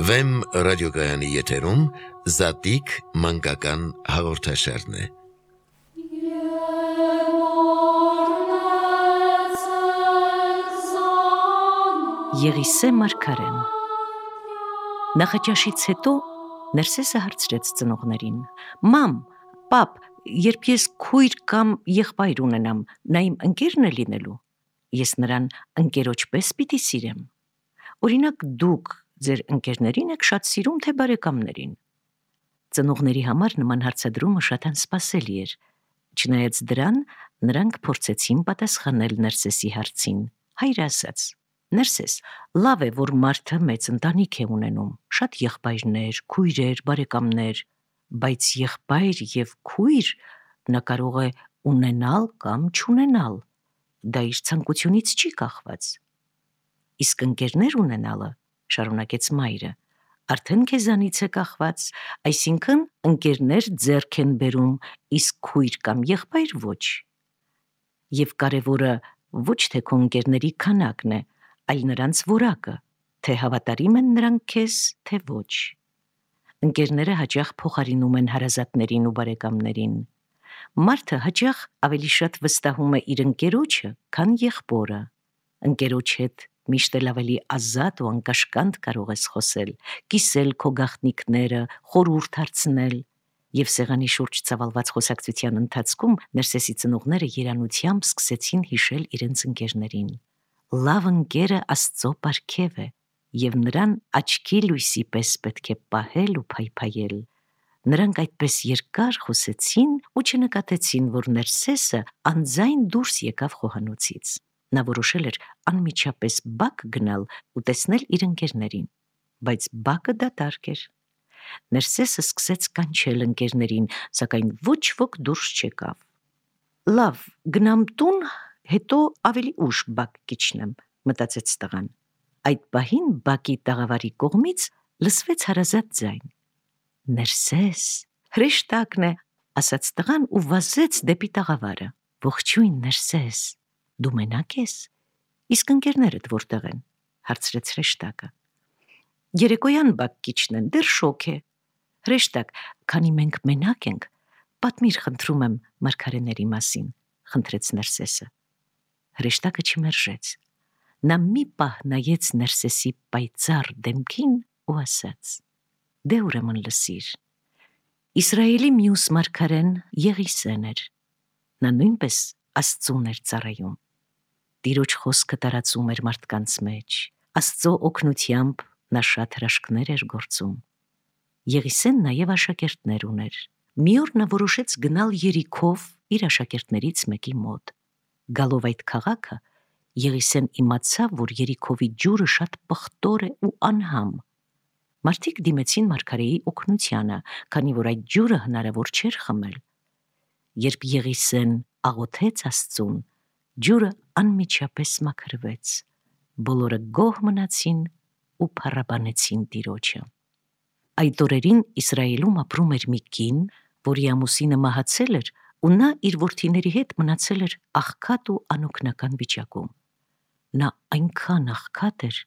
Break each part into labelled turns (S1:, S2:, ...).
S1: Վեմ ռադիոգայանի եթերում Զատիկ մանկական հաղորդաշարն է։
S2: Եղիսե մարգարեն։ Նախաճաշից հետո Ներսեսը հարցրեց ծնողներին. «Մամ, պապ, երբ ես քույր կամ եղբայր ունենամ, նա իմ ընկերն է լինելու։ Ես նրան ընկերոջ պես պիտի սիրեմ։ Օրինակ դուք ձեր ընկերներին եք շատ սիրում, թե բարեկամներին»։ Ծնողների համար նման հարցադրումը շատ անսպասելի էր։ Չնայած դրան, նրանք փորձեցին պատասխանել Ներսեսի հարցին։ Հայրը ասաց. «Ներսես, լավ է, որ մարդը մեծ ընտանիք է ունենում, շատ եղբայրներ, քույրեր, բարեկամներ, բայց եղբայր եւ քույր նա կարող է ունենալ կամ չունենալ։ Դա իր ցանկությունից չի կախված։ Իսկ ընկերներ ունենալը, շարունակեց մայրը, արդեն քեզանից է կախված, այսինքն ընկերներ ձեռք են բերում, իսկ քույր կամ եղբայր ոչ։ Եվ կարևորը ոչ թե քո ընկերների քանակն է, այլ նրանց որակը, թե հավատարիմ են նրանք քեզ, թե ոչ։ Ընկերները հաճախ փոխարինում են հարազատներին ու բարեկամներին։ Մարդը հաճախ ավելի շատ վստահում է իր ընկերոջը, քան եղբորը։ Ընկերոջ հետ միշտ էլ ավելի ազատ ու անկաշկանդ կարող ես խոսել, կիսել քո գաղտնիքները, խորհուրդ հարցնել։ Եվ սեղանի շուրջ ծավալված խոսակցության ընթացքում Ներսեսի ծնողները երանությամբ սկսեցին հիշել իրենց ընկերներին։ Լավ ընկերը Աստծո պարգև է, եւ նրան աչքի լույսի պես պետք է պահել ու փայփայել։ Նրանք այդպես երկար խոսեցին ու չնկատեցին, որ Ներսեսը անձայն դուրս եկավ խոհանոցից։ Նա որոշել էր անմիջապես բակ գնալ ու տեսնել իր ընկերներին, բայց բակը դատարկ էր։ Ներսեսը սկսեց կանչել ընկերներին, սակայն ոչ ոք դուրս չեկավ։ Լավ, գնամ տուն, հետո ավելի ուշ բակ կիջնեմ, մտածեց տղան։ Այդ պահին բակի տաղավարի կողմից լսվեց հարազատ ձայն։ Ներսես, հրեշտակն է, ասաց տղան ու վազեց դեպի տաղավարը։ Ողջույն, Ներսես, դու մենակ ես։ Իսկ ընկերներդ որտեղ են, հարցրեց հրեշտակը։ Երեկոյան բակ կիջնեն, դեռ շոգ է։ Հրեշտակ, քանի մենք մենակ ենք, պատմիր, խնդրում եմ, մարգարեների մասին, խնդրեց Ներսեսը։ Հրեշտակը չմերժեց։ Նա մի պահ նայեց Ներսեսի պայծառ դեմքին ու ասաց. Դե ուրեմն լսիր։ Իսրայելի մյուս մարգարեն Եղիսեն էր։ Նա նույնպես Աստծուն էր ծառայում։ Տիրոջ խոսքը տարածում էր մարդկանց մեջ։ Աստծո օգնությամբ նա շատ հրաշքներ էր գործում։ Եղիսեն նաև աշակերտներ ուներ։ Մի օր նա որոշեց գնալ Երիքով իր աշակերտներից մեկի մոտ։ Գալով այդ քաղաքը, Եղիսեն իմացավ, որ Երիքովի ջուրը շատ պղտոր է ու անհամ։ Մարդիկ դիմեցին մարգարեի օգնությանը, քանի որ այդ ջուրը հնարավոր չէր խմել։ Երբ Եղիսեն աղոթեց Աստծուն, ջուրը անմիջապես մաքրվեց։ Բոլորը գոհ մնացին ու փառաբանեցին Տիրոջը։ Այդ օրերին Իսրայելում ապրում էր մի կին, որի ամուսինը մահացել էր, ու նա իր որդիների հետ մնացել էր աղքատ ու անօգնական վիճակում։ Նա այնքան աղքատ էր,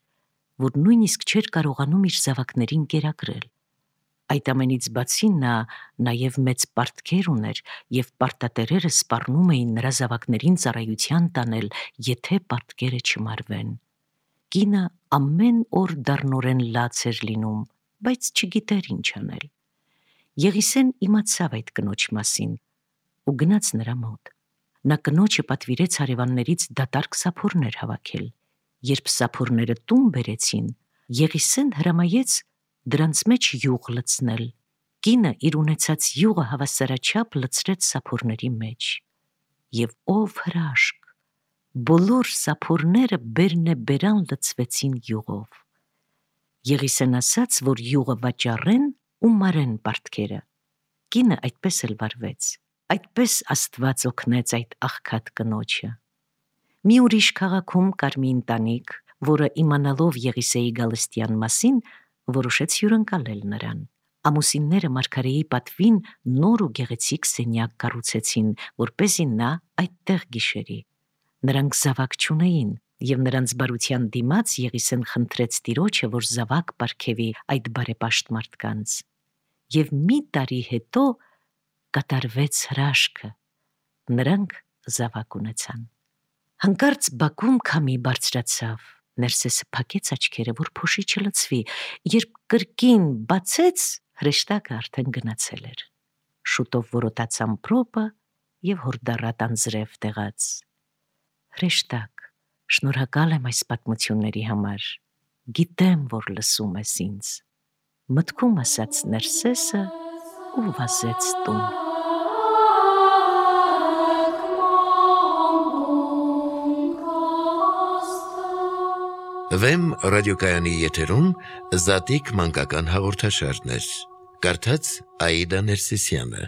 S2: որ նույնիսկ չէր կարողանում իր զավակներին կերակրել։ Այդ ամենից բացի նա նաև մեծ պարտքեր ուներ, եւ պարտատերերը սպառնում էին նրա զավակներին ծառայության տանել, եթե պարտքերը չմարվեն։ Կինը ամեն օր դառնորեն լաց էր լինում, բայց չգիտեր ինչ անել։ Եղիսեն իմացավ այդ կնոջ մասին ու գնաց նրա մոտ։ Նա կնոջը պատվիրեց հարևաններից դատարկ սափորներ հավաքել։ Երբ սափորները տուն բերեցին, Եղիսեն հրամայեց դրանց մեջ յուղ լցնել։ Կինը իր ունեցած յուղը հավասարաչափ լցրեց սափորների մեջ։ Եվ ով հրաշք, բոլոր սափորները բերնեբերան լցվեցին յուղով։ Եղիսեն ասաց, որ յուղը վաճառեն ու մարեն պարտքերը։ Կինը այդպես էլ վարվեց։ Այդպես Աստված օգնեց այդ աղքատ կնոջը։ Մի ուրիշ քաղաքում կար մի ընտանիք, որը իմանալով Եղիսեի գալստյան մասին, որոշեց հյուրընկալել նրան։ Ամուսինները մարգարեի պատվին նոր ու գեղեցիկ սենյակ կառուցեցին, որպեսզի նա այդտեղ գիշերի։ Նրանք զավակ չունեին, Եվ նրանց բարության դիմաց Եղիսեն խնդրեց Տիրոջը, որ զավակ պարգևի այդ բարեպաշտ մարդկանց։ Եվ մի տարի հետո կատարվեց հրաշքը։ Նրանք զավակ ունեցան։ Հանկարծ բակում քամի բարձրացավ։ Ներսեսը փակեց աչքերը, որ փոշի չլցվի, երբ կրկին բացեց, հրեշտակը արդեն գնացել էր։ Շուտով որոտաց ամպրոպը եւ հորդառատ անձրև տեղաց։ Հրեշտակ, շնորհակալ եմ այս պատմությունների համար։ Գիտեմ, որ լսում ես ինձ։ Մտքում ասաց Ներսեսը ու վազեց տուն։
S1: Վեմ ռադիոկայանի եթերում Զատիկ մանկական հաղորդաշարներ։ Կարդաց Աիդա Ներսիսյանը։